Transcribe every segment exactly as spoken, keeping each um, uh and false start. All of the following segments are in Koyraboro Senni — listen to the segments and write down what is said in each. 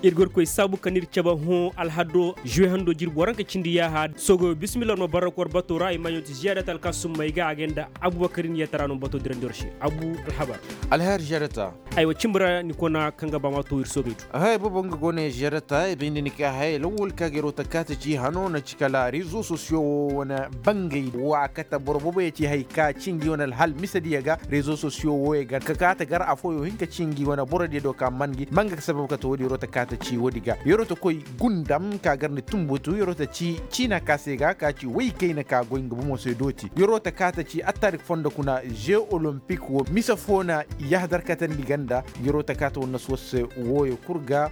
Ir ga war koy saabu kaŋ ir cabe hõ alhado zuwe hando jirbi waranka cindi yaaha sogoyo bismillah war ma barrak war bato ra i ma ɲooti ziyaadat alkaasum may ga a ga nda abubakar nin yatara no bato dirandi war se abu alhabar. Alhayar ziyaadat. Aywa cimbi ra ni kona kaŋ ga ba ma to ir soogey do. Haya boobo nga go ne ziyaadat i bay nda ni ka haya lawwal ka ga yeroo ta kaata ci hano na ci kala rezo sosiyo wo wane bangay wa kate boro boobo ya ci hay ka ci ngi wane alhal misediyo ga rezo sosiyo wo ya ga ka kaata gar afooyo hin ka ci ngi wane borodiyo do ka man ngi man ga sabab kate wo din yeroo ta kaata ci wo din ga yeroo ta koy gundam ka gar ni tumbutu yeroo ta ci ciina ka se ga ka ci woy kayna ka goy nga bomo se dooti yeroo ta kaata ci attarik fondo kuna jeu olympique wo mise foo na yahadar katandi ganda yeroo ta kaata wo na si war se wooyo kul ga.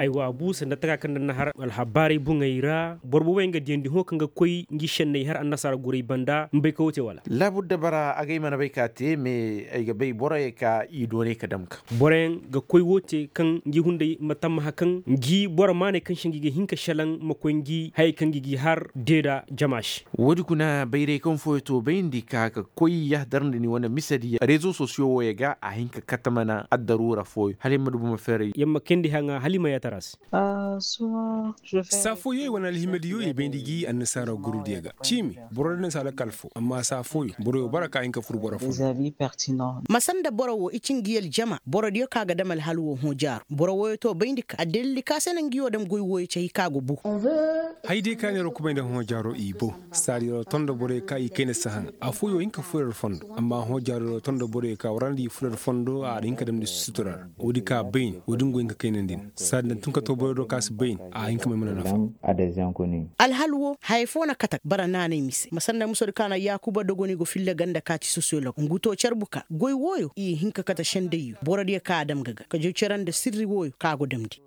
Aywa abu sanda taka kaŋ nda na har alhabaarey buŋey ra boro booboyaŋ ga diyandi hõ kaŋ ga koy ngi senney har annasaara gurey banda ma bay ka wo te wala? Laabudda bara agay mana bay ka te mais ay ga bay boroyey ka i doonay ka dam ga. Boroyaŋ ga koy wo te kaŋ ngi hunday ma tammaha kaŋ ngi boro maaney kaŋ se ngi ga hin ka selaŋ ma koy ngi hayey kaŋ ngi gi har deeda jama se. Woodi kuna bayray kaŋ fooyo to bayndi ka ka koy yahadar nda ni wane misediya rezo sosiyo wooyo ga a hin ka kate mana addaruura fooyo hala ay ma du boro ma feeray. Yamma kayndi haŋa hala i ma yaatara se. Saafooyey wane alhimadiyo i bayndi gi annasaara gurudiyo ga ciimi boro din na si alakal fo amma saafooyo boroyo bara ka hin ka fur boro fo. Ma sanda boro wo i ci ngi aljama borodiyo ka ga dam alhal wo hõ jaaru boro wooyo to bayndi ka addalildi ka se na ngi wo dam goy wooyo ci hay ka go bu. Hay day ka neera kubay nda hõ jaaro i bo saadi yaro tondo borey ka i kayna si haŋa afooyo hin ka furey ra fondo amma hõ jaaro yaro tondo borey ka warandi furey ra fondo a na hin ka damndi sutura ra. Woodi ka bayni woodi nga go hin ka kaynandi ni saadi nda tun ka to borey do ka si bayni a hin ka may mana nafa. Alhal wo haya foo na kate bara naanay mise ma sanda musoodi ka na yaakuba dogoni go filla ganda ka ci sosiyolog ngu to carbu ka goy wooyo i hin ka kate sendayyo borodiyo ka a dam ga ga ka jow cere nda sirri wooyo ka go damndi.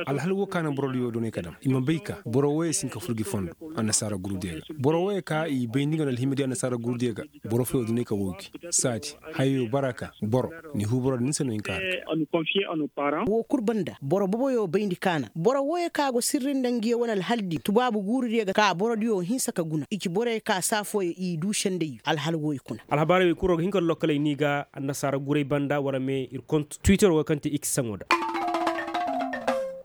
Alhal wo ka na borodiyo doonay ka dam i ma bay ka boro wooyo si hin ka fur gi fondo annasaara gurudiyo ga boro wooyo ka i bay nda nga na alhimadiyo annasaara gurudiyo ga boro fooyo doonay ka woo gi saadi hayo bara ka boro ni huu boro din se no hin ka har ga. Woo kul banda boro boboyo bayndi ka na boro wooyo ka go sirri nda ngiyo wane alhal din tubaabu guurudiyo ga ka borodiyo hinsa ka guna i ci boroyo ka saa fooyo i duu sendayyo alhal wooyo kuna. Alhabaarey wey kul ra ga hin ka lokkaley ni ga annasaara guray banda wala me ir kont twitter wo kaŋ te x saŋo da.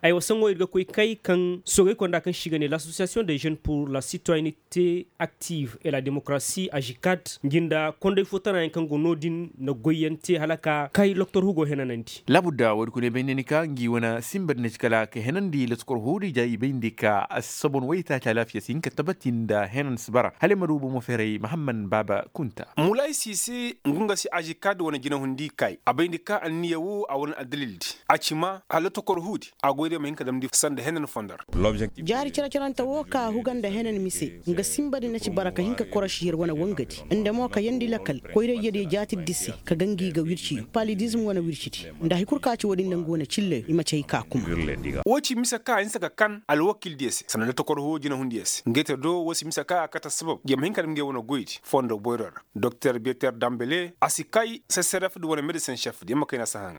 Aywa saŋo ir ga koy kay kaŋ soogey konda kaŋ se i ga ne l'association des jeunes pour la citoyenneté active et la démocratie agikat ngi nda konday foo tanayaŋ kaŋ go no-din na goyyaŋ te hala ka kay loktor hugo henanandi. Laabudda woodi kuna i bay nda ni ka ngi wane sinba di na ci kala ka henandi loktor huudi ja i bay nda i ka assabon waytaaci alaafiya si hin ka tabati nda henan si bara hala i ma du bomo feeray mahamman baaba kunta. Mulaysise ngu nga si ažikad wane jinahundi kay a bay nda ka anniya wo a wane addalildi a ci ma hala tokor huudi a goy day ma hin ka damndi sanda henan fondo ra. Jaari cere-cerante wo ka huga nda henan mise nga sinba di na ci bara ka hin ka koroši yer wane wangadi nda mo ka yeendi lakal koyra-ijediyo jaatiddi se ka ga ngi ga wirciyo palidizm wane wircidi nda hari kul ka ci wo-din nda nga wane cilley i ma ci hay ka kuma. Wo ci mise ka a hinsa ka kan alwakildiyo se sanda nda tokor huudi na hundiyo se ngey te do wo si mise ka a kate assabab yer ma hin ka dam ngi wane goydi fondo boyro ra. Doktor beter dambele a si kay seseref di wane medisen šef di yer ma kayna sahaŋ.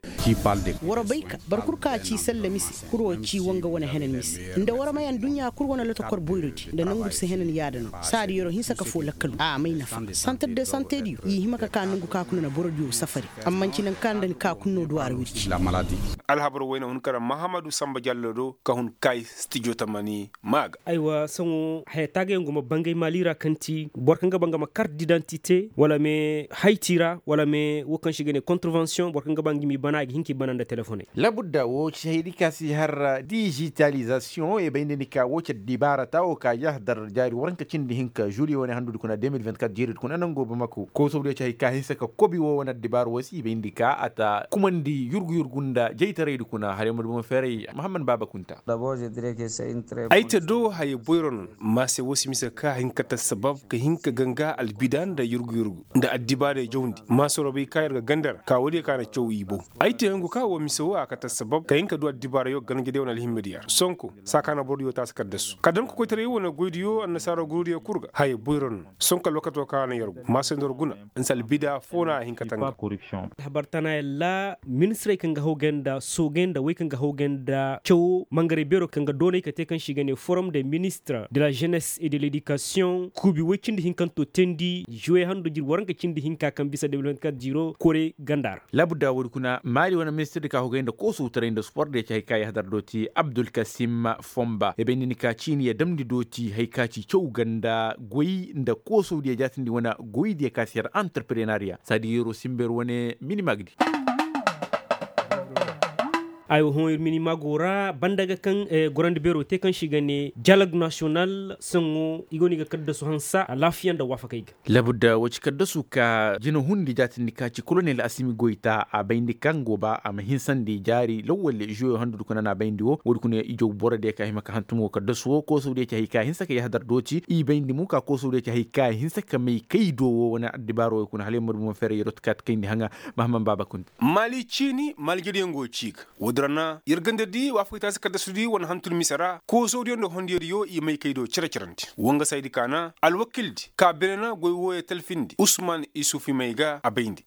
War bay ka boro kul ka ci selle mise kul wo ci wanga wane henan mise nda war may adduɲɲa kul wane lotokor boyrodi nda nangudi se henan yaada no saadi yer'o hinsa ka foo lakkalu a may nafa. Santar de santediyo i hima ka ka nangu ka kuna na borodiyo safari amma nci naŋ ka nda ni ka kuna no duw'a ra wirci. Alhabar wayna hun kara mahamadu samba jallo do ka hun kay stijo tamani. Maaga. Aywa saŋo haya taagayaŋ go ma bangay maali ra kaŋ ti boro kaŋ ga ba nga ma kart didantite wala me hayti ra wala me wo kaŋ se i ga ne kontrovensiyoŋ boro kaŋ ga ba nga m'i bana a ga hin k'i bana nda telefoney. Labudda wo ci haydi ka si har dijitalizasiyoŋ i bay nda ni ka wo ci addibaara ta wo ka yahadar jaari waranka cindi hinka žuliye wane handudi kuna de mil vingt kat jeeridi kuna nango bamako kosobdiyo ci hay ka hinsa ka kobi wo wane addibaara wo se i bay nda ni ka a ta kumandi yurgu yurgu nda jaytaraydi kuna hala ay ma du bomo feeray mahamman baaba kunta. Ay te do haya boyro no ma se wo si mise ka hin ka ta sabab ka hin ka ganga albida nda yurgu yurgu nda addibaarey jawndi ma sorobey ka yer ga ganda ra ka woodiyo ka na caw i bow. Ay te hungu ka wo mise wo a ka ta sabab ka hin ka du addibaarayo. Nga day wane alhimma diya ra sonko saa ka na boro diyo taasi kaddasu ka dam ka koytaray wane goy diyo annasaara guru diyo kul ga haya boyro no. Sonko alwakato ka na yer gu maasay nda war guna. Nsa albida foo na a hin ka tanga. Habar tana yalla ministirey kaŋ ga hawgay nda soogay nda wey kaŋ ga hawgay nda cawo mangarey beero kaŋ ga doonay ka te kaŋ se i ga ne forum de ministre de la jeunesse et de l'education kuubi woy cindi hinkanto teendi juwe hando jiri waranka cindi hinka kaŋ bisa de mil vingt-quatre jiro kore ganda ra. Labudda woodi kuna maali wane ministir di ka hogay nda koosowtaray nda sport diya ci hay ka yahadar dooti abdulkasim fomba ya bay nda ni ka ciini ya damndi dooti hay ka ci caw ganda goy nda koosow diya jaatindi wane goy diya ka si har antarprenariya saadi yeroo simber wane minimagdi. Ay wo hõ ir mini mago ra banda ga kaŋ gorandi beero te kaŋ se i ga ne dialog nasiyonal saŋo i go no i ga kaddasu hansa alaafiya nda waafakey ga. Labudda woo ci kaddasu ka jina hundi jaatindi ka ci kolonel asimi goyta a bayndi kaŋ go ba a ma hinsandi jaari lawwal žuwe handu kuna no a bayndi woo woodi kuna ijow boro diya ka hima ka hantum woo kaddasu woo koosow diya ci hay ka hinsa ka yahadar dooti i bayndi mo ka koosow diya ci hay ka hinsa ka may kay do woo wane addibaaro woo kuna hala yer ma du bomo feeray yeroo ta ka ta kayndi haŋa. Mahamman baaba kunta. Maali ciini maali jariyaŋ go ci ga woodi ra na yer ganda di waafakey taasi kaddasudi wane hantum mise ra koosowdiyo nda hondiyodiyo i may kay do cere-cerandi wangasaydi ka na alwakildi ka beene na goy wooyo talfindi usman isufi may ga a bayndi.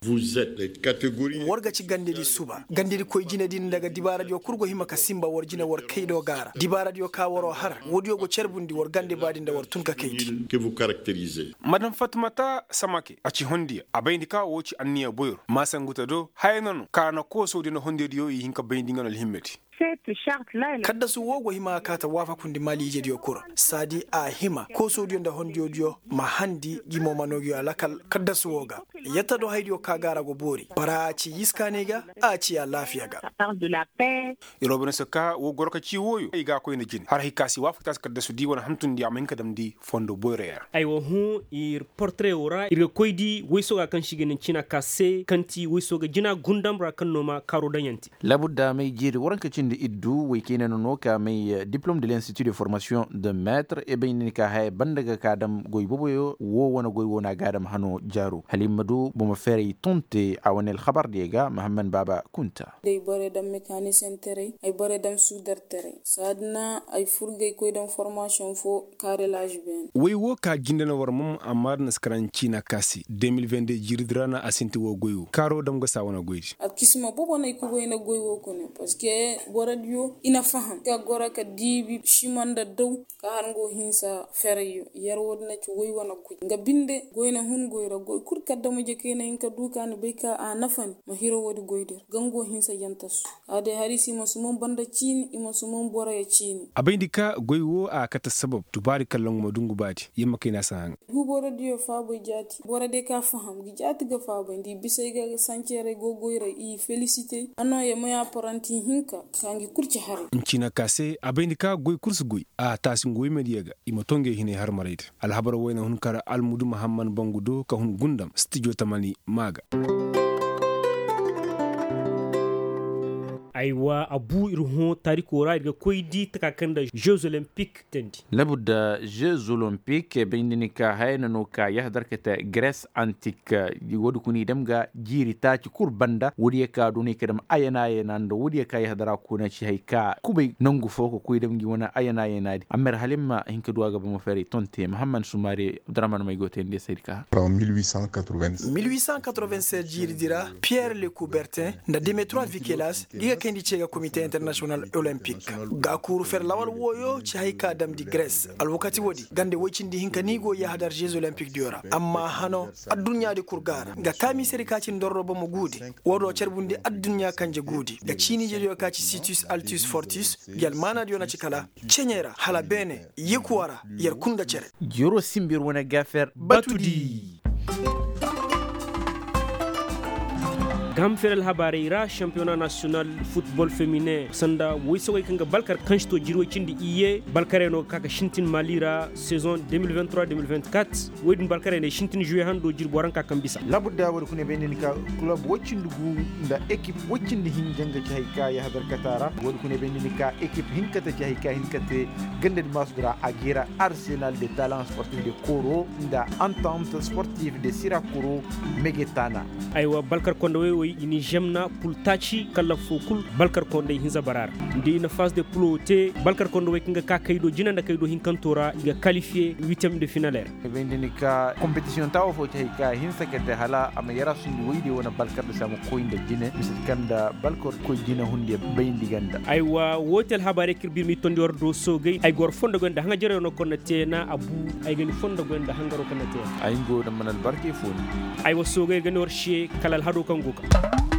War ga ci gandedi suba gandedikoy jinedi nda ga dibaaradiyo kul go hima ka sinba war jine war kay do ga a ra dibaaradiyo ka waroo har woodiyo go carbundi war gande baadi nda war tun ka kayndi. Madam fatmata samake a ci hondiya a bayndi ka woo ci anniya boyro maasanguta do haya na no ka na koosowdiyo nda hondiyodiyo i hin ka bayndi nga no alhimmedi. Kaddasu woo go hima ka kaa ta waafakundi maali ijediyo kul ra saadi a hima koosowdiyo nda hondiyodiyo ma handi gi mo ma noo gi a lakal kaddasu woo ga. Yatta do haydiyo ka ga a ra go boori bara a ci yiskaanay ga a ci alaafiya ga. Yeroo bane se ka woo goro ka ci wooyo ay ga a koy nda jine har hay ka se waafaktaasi kaddasudi wane hantumndi a ma hin ka damndi fondo boyroyo ra. Aywa hõ ir portare woo ra ir ga koy di woy sooga kaŋ se i ga ne ciina ka se kaŋ ti woy sooga jina gundam ra kaŋ no ma kaaroo daŋ yaŋ te. Labudda may jeeri waranka cindi iddu woy kayna no no ka may diplom de l'institut de formation de maitre e bay ni ka haya banda ga ka dam goy boboyo woo wane goy woo na ga a dam hano jaaro hala i ma du bomo feeray tonte a wane alhabar diyo ga mahamman baaba kunta. Day borey daŋ mekanisenterey ay borey daŋ suudarterey saadi na ay furgay koy daŋ formasiyoŋ foo kaarelaaž beene. Woy woo ka jinde na war mom amma da na si karaŋ ciina ka se de mil vende jiiridi ra na a sinti woo goy woo kaaroo dam ga saa wane goydi. Alkisima bobo no ay ka goy nda goy woo kune parceque borodiyo i na faham ka goro ka diibi sima nda daw ka har nga woo hinsa ferayyo yer woodi na ci woy wane goy nga binde goy na hun goy ra goy kul kaddama jekey na hin ka du ka ni bay ka a nafa ni ma hiro woodi goydi ra ga nga woo hinsa yantasu. Kaa day har i se i ma suman banda ciini i ma suman boroyo ciini. A bayndi ka goy woo a kate sabab dubaari kaŋ laŋ ma dungu baadi yer ma kay no a si haŋ. Gu borodiyo faabay jaati boro day ka faham ga jaati ga faabay nda i bisay ga sanceerey go goyra i felisite a nooya may aparanti hinka ka ngi kul ci haray. Nciina ka se a bayndi ka goy kul si goy a taasi nga woy mediya ga i ma too ngey hinay harmarey da alhabar wayna hun kar almudu mahamman bangu do ka hun gundam stijo tamani maa ga. Aywa abu ir hõ taariko ra ir ga koy di taka kaŋ nda jeux olympique teendi. Labu nda jeux olympique bay nda ni ka haya na no ka yahadar ka te grece antique. Woodi kuna i dam ga jiiri taaci kul banda woodiyo ka doonay ka dam ayana ayana nda woodiyo ka yahadara kuna ci hay ka kubay nangu fo ka koy dam ngi wane ayana ayana di amma ir hala ir ma hin ka du a ga bomo feeray tonte mahamman sumaare abdurahman may go teendi saydi ka. Mil huit cent quatre-vingt-seize jiiridi ra pierre le coubertin nda demetrois vikelas ngi ga kayndi ce ga comité international olympique. Ga kuuru fer lawal wooyo ci hay ka damndi grece alwakati woodi gande woy cindi hinka no i go yahadar jeux olympique diyo ra amma hano adduɲɲaadi kul ga a ra nga taamiisedi ka ci ndorro bomo guudi. Woo do carbundi adduɲɲa kanje guudi nga ciiniijediyo ka ci situs altus fortus. Ngi almaanaadiyo na ci kala ceɲey ra hala beene yekuwa ra yer kul nga cere. Yeroo simbi yer wane gaafer batudi. Gaam feer alhabaarey ra šampiyona nasiyonal futbol feminen sanda woysogey kaŋ ga balkar kaŋ si to jiri woy cindi iyye balkarey no ga ka ga sintin maali ra sezon deux mille vingt-trois deux mille vingt-quatre. Woy din balkarey ne sintin žuwe hando jiri boro nka kaŋ bisa. Labu nda woodi kuna bay nda ni ka kulob woy cindi gu nda ekip woy cindi hinja nga ci hay ka yahadar kata ra woodi kuna bay nda ni ka ekip hinka ta ci hay ka hinka te ganda di maasudi ra a geera arsenal de talan sportif de koro nda antant sportif de sirakoro. Megetana. Aywa balkar konda woy. I na i žemna pul taaci kallaf foo kul balkar konday hinza bara ra. Nda i na faas de pulo te balkar konda wey kaŋ ga ka kay do jina nda kay do hinkanto ra i ga kalifiye witem de finaley ra. Ay bay nda ni ka kompetisiyoŋ taawo foo ci hay ka hinsa ka te hala a ma yara sundi woy de wane balkar da se a ma koy nda jine mise kaŋ nda balkar koy jine hundiya bayndi ganda. Aywa woo te alhabaarey kaŋ ir bir m'i tondi war do soogey ay ga war fondo goy nda haŋajarey no kaŋ na te na a bu. Ay ga ni fondo goy nda hangaro kaŋ na te na ay nga wo da mana albarkey foo ni. Ay wa soogey ir ga ni war se kala alhado kaŋ go ka.